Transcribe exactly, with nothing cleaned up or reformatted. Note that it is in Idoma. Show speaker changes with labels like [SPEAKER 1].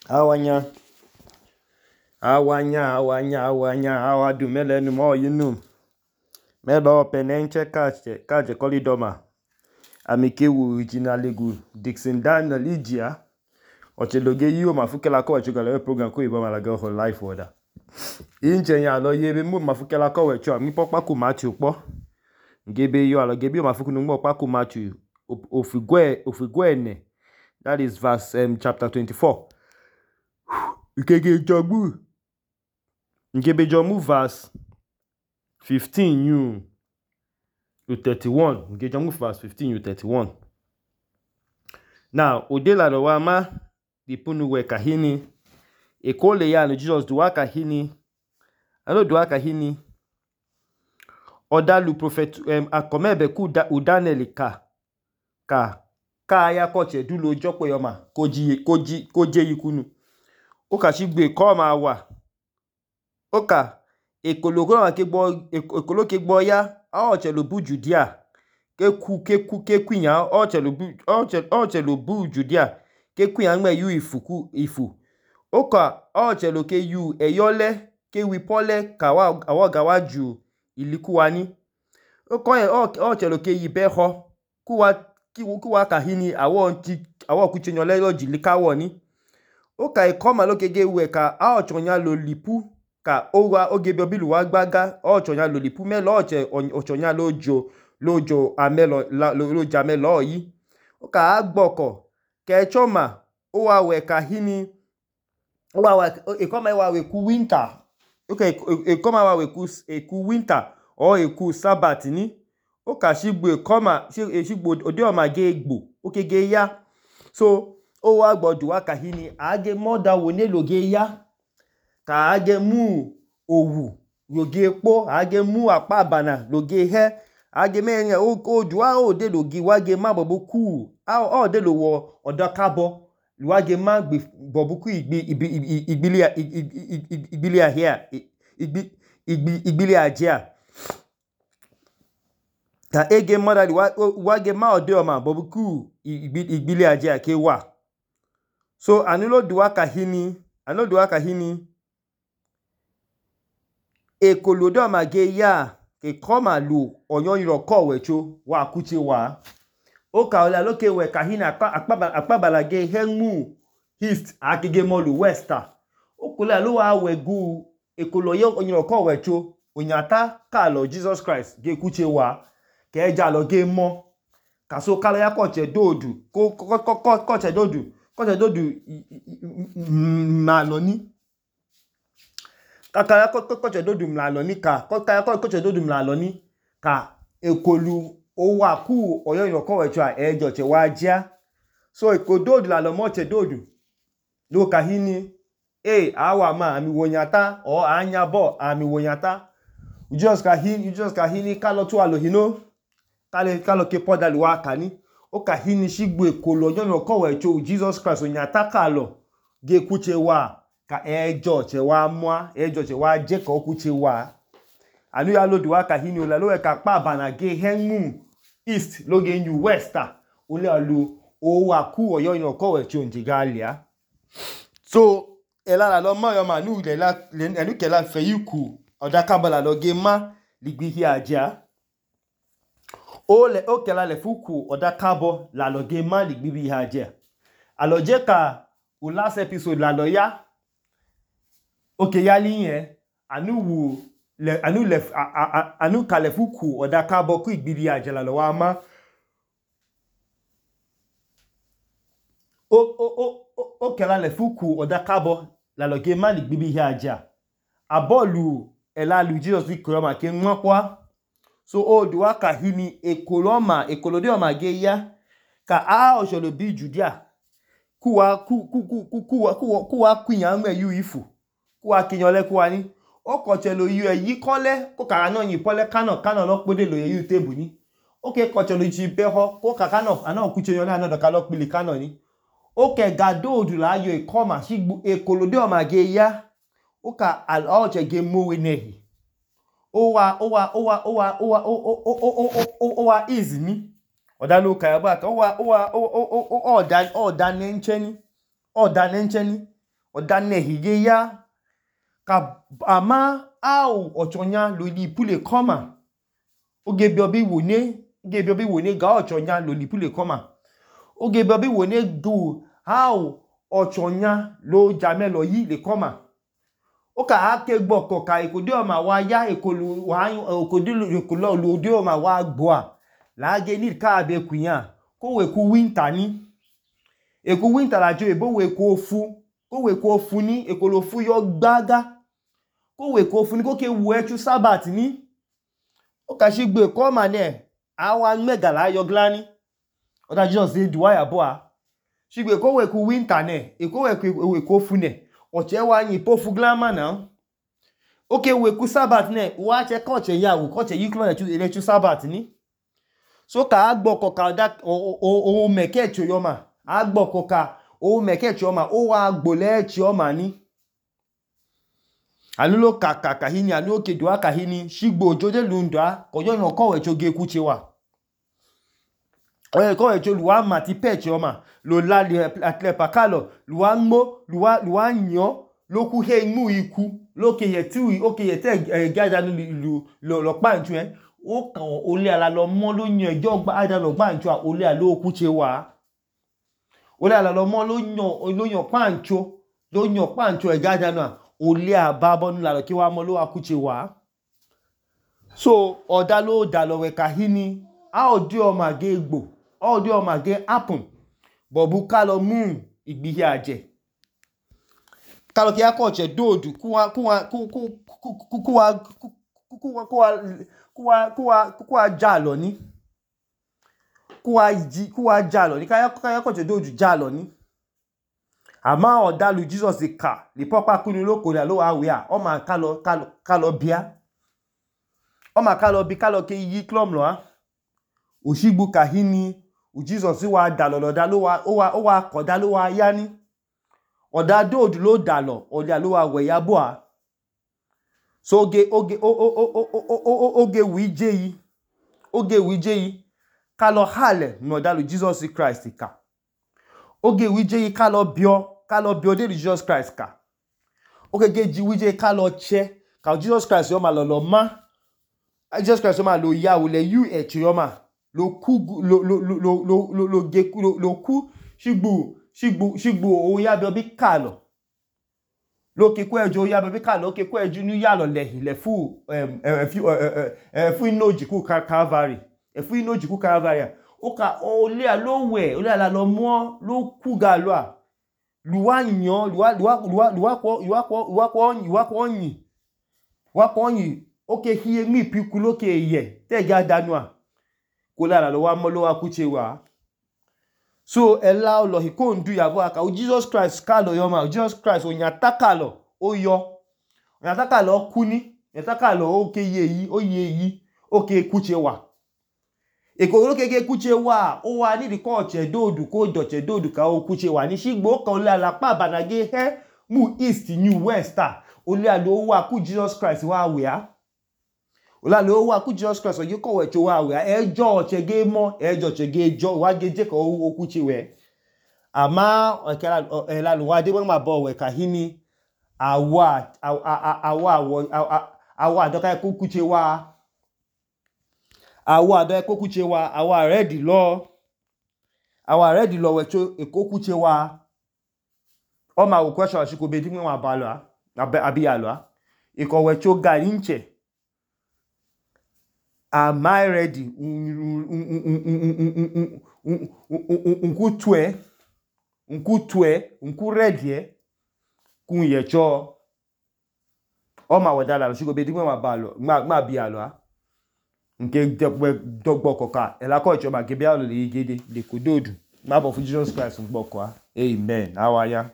[SPEAKER 1] Awanya, awanya, awanya, awanya, awadu melenu mo yinu. Melo penenche kache, kache kolidoma. Amikewu originalegu Dixon Daniel Ijia. Ocheloge yiyo mafukela ko wecho gale program ko ibo malaga ho life order. Inche nya lo yebe mu mafukela ko wecho mi pokpa ku Matthew po. Ngebe yo alo gebe yo mafukunu ngbo pa ku Matthew ofigwe ofigwene. That is verse um, chapter twenty-four. Ukege jomu. Ngebe jomu verse fifteen you to thirty-one. Ngebe jomu verse fifteen you thirty-one. Now, odela do wama dipunu we kahini. Ekole ya no Jesus duwa kahini. Ano duwa kahini. Odalu prophet um, akomebe ku da, udaneli ka. Ka. Ka ya koche dulo jokwe yoma. Koji, koji, koje yikunu. Oka shigbe koma wa. Oka ekologo na kegbo ekolo kegbo ya a ochelo bu Judea. Ke ku ke ku ke kwinya ochelo bu ochelo bu Judea. Ke kwinya ngme yu ifuku ifu. Oka ochelo ke yu eyole ke wipole ka wa awoga waju ilikuwani. Okoye ochelo ke yibeho kuwa kuwa kahini awo nti awo kuchenyole lo jilikawo ni. Oka ikoma lo kege we ka a ochonya lo lipu ka owa ogebe obilu wa gbaga ochonya lo lipu me lo oche ochonya lojo lojo amelo lojo amelo yi. Oka agboko ke choma owa we kahini owa we ikoma wa we ku winter. Oka ikoma wa we ku ku winter o eku Sabbath ni. Oka shigbo ikoma shigbo ode o mage egbo okege ya. So owa gbodu wa kahini age moda wone loge ya ka age mu owu loge po age mu apabana loge he age me odu wa ode loge wage ma bobuku a ode lo wo odakabo wage ma gbe bobuku igbi igbili igbili ahia igbi igbili ajia ka ege moda wage ma ode o ma bobuku igbili ajia ke wa. So anulo duwa kahini, anulo duwa kahini, ekolodo mage ya, ke koma lu, onyon yiroko wecho, wa kuche wa. Oka ola loke we kahini, akpabalage hengu, east, akige molu, westa. Okola lo wa wegu, ekolo yon yiroko wecho, onyata kalo Jesus Christ, ge kuche wa, ke eja lo ge mo. Kaso kala ya koche dodu, ko koche dodu, koche dodu mlaloni. Kakaya koche dodu mlaloni ka. Kakaya koche dodu mlaloni ka. Ekolu owa ku oyo yoko wechwa ejo che wajia. So eko dodu lalomoche dodu. Lo kahini. Eh, awa ma ami wonyata. O anya bo ami wonyata. Ujos kahini, ujos kahini kalo tu alohino. Kale kalo ke poda luwa kani. O kahini shigbo ekolo oyo yoko wechwa Jesus Christ onyata kalo. Ge kuche wa. Ka ejo che wa mwa. Ejo che wa je ka kuche wa. Anu ya lo duwa kahini ola lo we ka pa bana ge hengu. East lo ge nyu westa. Ole alu owa ku oyo yoko wechwa njigalia. So elala lo ma yo ma nu le la enu ke la fe yiku. Odakabala lo ge ma ligbi hi aja. Ole o ke la le fuku odakabo la lo ge ma ligbi hi aja. Aloje ka o last episode la lo ya. Oke ya liye anu wu le anu le anu ka le fuku odakabo ku igbi hi aja la lo wa ma. O o o o ke la le fuku odakabo la lo ge ma ligbi hi aja. Abolu ela lu Jesus vi koloma ke nwakwa. So o duwa kahini ekoloma ekolode o mage ya ka a osholo bi Judea kuwa ku ku ku ku kuwa kuwa kuwa kwinya ngwe yu ifu kuwa kinyole kuwa ni o kochelo yu eyi kole ko kara no yin pole kano kano lo pode lo yu tebu ni o ke kochelo ji beho ko kaka no ana kuchenyole ana do ka lo pili kano ni o ke gado odula ayo ikoma shigbu ekolode o mage ya o ka al oche ge mowe nehi owa owa owa owa owa owa owa is ni odalo ka ba ka owa owa oda oda nencheni oda nencheni oda nehi ge ya ka ama au ochonya lo lipu le koma oge bi obi wone oge bi obi wone ga ochonya lo lipu le koma oge bi obi wone du au ochonya lo jamelo yi le koma oka ake gboko ka ekode oma wa ya ekolu wa ekode ekolo lo de oma wa gboa la ge ni ka be kunya ko we ku winter ni eku winter la jo ebo we ku ofu ko we ku ofu ni ekolo fu yo gbaga ko we ku ofu ni ko ke wu echu sabat ni o ka shi gbe ko ma ne awa megala yo glani o da Jesus say duwa ya boa shi gbe ko we ku winter ne e ko we ku we ku ofu ne o che wa yin pofu glama na o ke we ku sabat ne wa che ko che ya wo ko che yi klo le chu sabat ni so ka agboko ka da o o meke cho yo ma agboko ka o meke cho ma o wa gbole cho ma ni anulo kaka kahini anu ke duwa kahini shigbo jode lundwa ko yo no ko we cho ge ku che wa o ko we cho luwa ma ti pe cho ma lo la le atle pakalo luwa mo luwa luwa nyo lo ku he mu iku lo ke ye ti o ke ye te gada lu lo lo pa nju e o kan o le ala lo mo lo yan ejo gba ada lo gba nju a o le ala lo ku che wa o le ala lo mo lo yan lo yan pa nju lo yan pa nju e gada na o le ababo nu la lo ki wa mo lo wa ku che wa so oda lo da lo we kahini a o di o ma ge gbo o di o ma ge happen bobu ka lo mu igbihi aje ka lo ki ako che dodu ku wa ku wa ku ku ku ku wa ku wa ku wa ku wa ku wa ku wa jalo ni ku wa ji ku wa jalo ni ka ya ka ya ko che dodu jalo ni ama oda lu Jesus ka li popa kunu loko la lo wa we a o ma ka lo ka lo ka lo bia o ma ka lo bi ka lo ke yi klom lo a oshigbu kahini u Jesus wa dalo lo da lo wa o wa o wa ko da lo wa ya ni oda dodu lo dalo o le lo wa we ya bo a so oge oge o o o o o oge wije yi oge wije yi ka lo hale no da lu Jesus Christ ka oge wije yi ka lo bio ka lo bio de Jesus Christ ka oge ge ji wije ka lo che ka Jesus Christ yo ma lo lo ma Jesus Christ yo ma lo ya wo le you e che yo ma lo ku lo lo lo lo lo lo ge lo lo ku shigbu shigbu shigbu o ya bio bi ka lo lo ke ku ejo ya be ka lo ke ku eju ni ya lo le le fu em e fi e fu inoji ku Calvary e fu inoji ku Calvary o ka o le a lo we o le ala lo mo lo ku ga lo a luwa yan luwa luwa luwa luwa ko luwa ko luwa ko luwa ko yin wa ko yin o ke hi mi piku lo ke ye te ga danu a ko le ala lo wa mo lo wa ku che wa so ela lo hi ko ndu ya bo aka o Jesus Christ ka lo yo ma Jesus Christ o yan taka lo o yo o yan taka lo ku ni yan taka lo o ke ye yi o ye yi o ke ku che wa e ko lo ke ke ku che wa o wa ni di ko che dodu ko do che dodu ka o ku che wa ni shigbo kan le ala pa banage he mu east new west o le ala o wa ku Jesus Christ wa we a o la lo wa ku Jesus Christ o ye ko we cho wa we ejo che ge mo ejo che ge jo wa ge je ko o ku che we ama o kala e la lo wa de ma bo we kahini awa awa awa awa do ka ku ku che wa awa do e ko ku che wa awa ready lo awa ready lo we cho e ko ku che wa o ma wo question shi ko be di wa ba lo abi ya lo e ko we cho ga inche am I ready nku tue nku tue nku ready kun ye cho o ma wada la shi go be di wa ba lo ma ma bi ya lo a nke dogbo koka ela ko icho ma ge bi a lo le gede de kododu ma bo fu Jesus Christ ngbo ko a amen awaya.